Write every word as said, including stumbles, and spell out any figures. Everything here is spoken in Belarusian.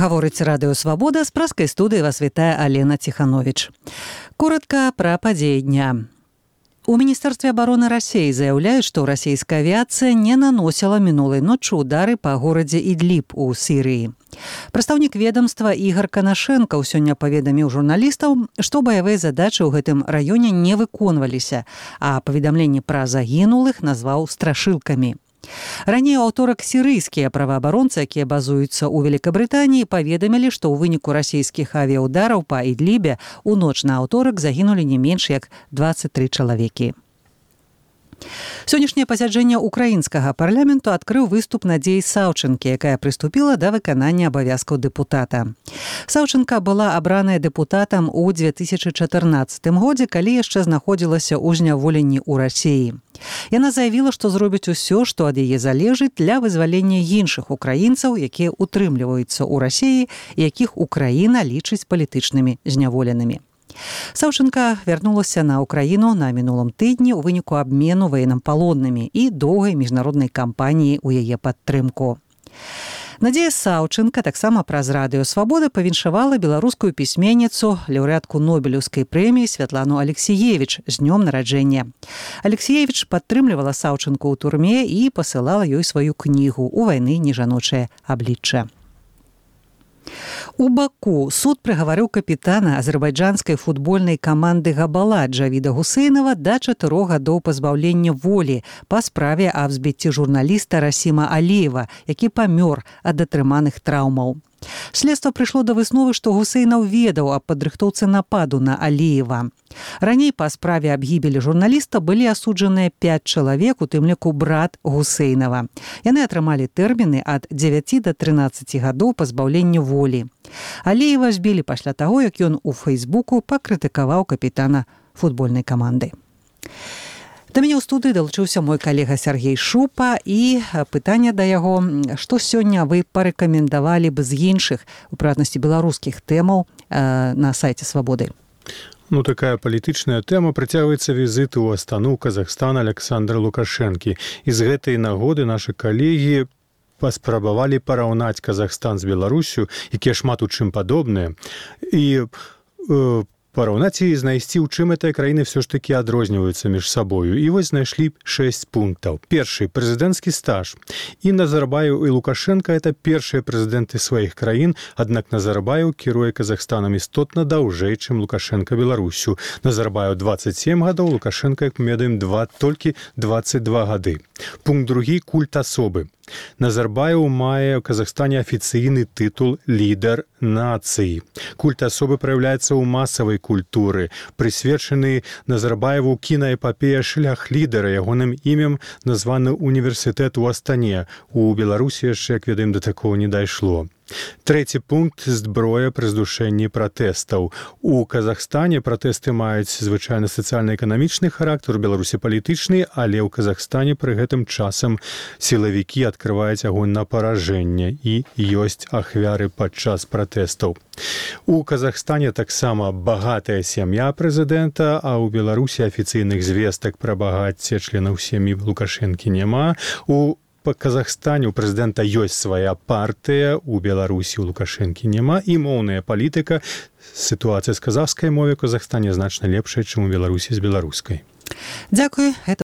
Гаворыць Радыё Свабода, з праскай студыі вас вітае Алена Ціхановіч. Коротка пра падзеі дня. У Міністэрстве абароны Расіі заяўляюць, што расійская авіяцыя не наносіла мінулай ноччу ўдары па горадзе Ідліб у Сірыі. Прадстаўнік ведамства Ігар Канашэнкаў сёння паведаміў журналістаў, што баявыя задачы ў гэтым раёне не выконваліся, а паведамленні пра загінулых назваў страшылкамі. Раней у аўторак сірыйскія праваабаронцы, якія базуюцца ў Великабрытаніі, паведамілі, што ў выніку расійскіх авіяўдараў па Ідлібе ў ноч на аўторак загінулі не менш як дваццаць тры чалавекі. Сённяшняе пасяджэнне украінскага парламенту адкрыў выступ Надзеі Саўчынкі, якая прыступіла да выканання абавязкаў дэпутата. Саўчынка была абраная дэпутатам у две тысячы чатырнаццатым годзе, калі яшчэ знаходзілася ў зняволенні ў Расіі. Яна заявіла, што зробіць усё, што ад яе залежыць для вызвалення іншых украінцаў, якія утрымліваюцца ў Расіі і якіх Украіна лічыць палітычнымі зняволенымі. Саўчынка вярнулася на Украіну на мінулым тыдні ў выніку абмену военнапалоннымі і доўгай міжнароднай кампаніі ў яе падтрымку. Надзея Саўчынка таксама праз Радыё Свабода павіншавала беларускую пісьменніцу, лаўрэатку Нобелеўскай прэміі Святлану Алексіевіч з днём нараджэння. Алексіевіч падтрымлівала Саўчынку ў турме і пасылала ёй сваю кнігу «У вайны нежаночае аблічча». У Баку суд прыгаварыў капітана азербайджанскай футбольнай каманды «Габала» Джавіда Гусейнова да чатырох гадоў пазбаўлення волі па справе аб збіцці журналіста Расіма Аліева, які памёр ад атрыманых траўмаў. Следства прыйшло да высновы, што Гусейнаў ведаў аб падрыхтоўцы нападу на Аліева. Раней па справе аб гібелі журналіста былі асуджаныя пяць чалавек, у тым ліку брат Гусейнава. Яны атрымалі тэрміны ад дзевяці да трынаццаці гадоў пазбаўлення волі. Аліева збілі пасля таго, як ён у Фэйсбуку пакрытыкаваў капітана футбольнай каманды. Да мяне ў студыі далучыўся мой калега Сергей Шупа, і пытанне да яго, што сёння вы парэкамендавалі б з іншых, у прыватнасці беларускіх тэмаў на сайце Свабоды? Ну, такая палітычная тэма. Працягваецца візіт у Астану, Казахстан Александра Лукашэнкі. І з гэтай нагоды нашы калегі паспрабавалі параўнаць Казахстан з Беларусю, якія шмат у чым падобныя, і э, параўнаць і знайсці, у чым гэтыя краіны все ж такі адрозніваюцца між сабою. І вось знайшлі шэсць пунктаў. Першы – прэзідэнцкі стаж. І Назарбаеў і Лукашенко – это першыя прэзідэнты сваіх краін, аднак Назарбаеў кіруе Казахстанам істотна даўжэй, чым Лукашенко Беларусю. Назарбаеў дваццаць сем гадоў, Лукашенко, як мы ведаем, два, толькі дваццаць два гады. Пункт другі – культ асобы. Назарбаеў мае ў Казахстане афіцыйны тытул «Лідар нацыі». Культ асобы праяўляецца ў масавай культуры. Прысвечаны Назарбаеву кінаэпапея «Шлях лідара». Ягоным імем названы універсітэт у Астане. У Беларусі яшчэ, як ведаем, да такого не дайшло. Трэці пункт – зброя пры здушэнні пратэстаў. У Казахстане пратэсты маюць звычайна сацыяльна-эканамічны характар, у Беларусі палітычны, але ў Казахстане пры гэтым часам сілавікі адкрываюць агонь на паражэнне і ёсць ахвяры падчас пратэстаў. У Казахстане таксама багатая сям'я прэзідэнта, а ў Беларусі афіцыйных звестак пра багацце членаў сям'і Лукашэнкі няма. У Па Казахстане у прэзідэнта ёсць свая партыя, у Беларусі у Лукашэнкі няма, і моўная палітыка. Сітуацыя з казахскай мовай у Казахстане значна лепшая, чым у Беларусі з беларускай. Дзякуй.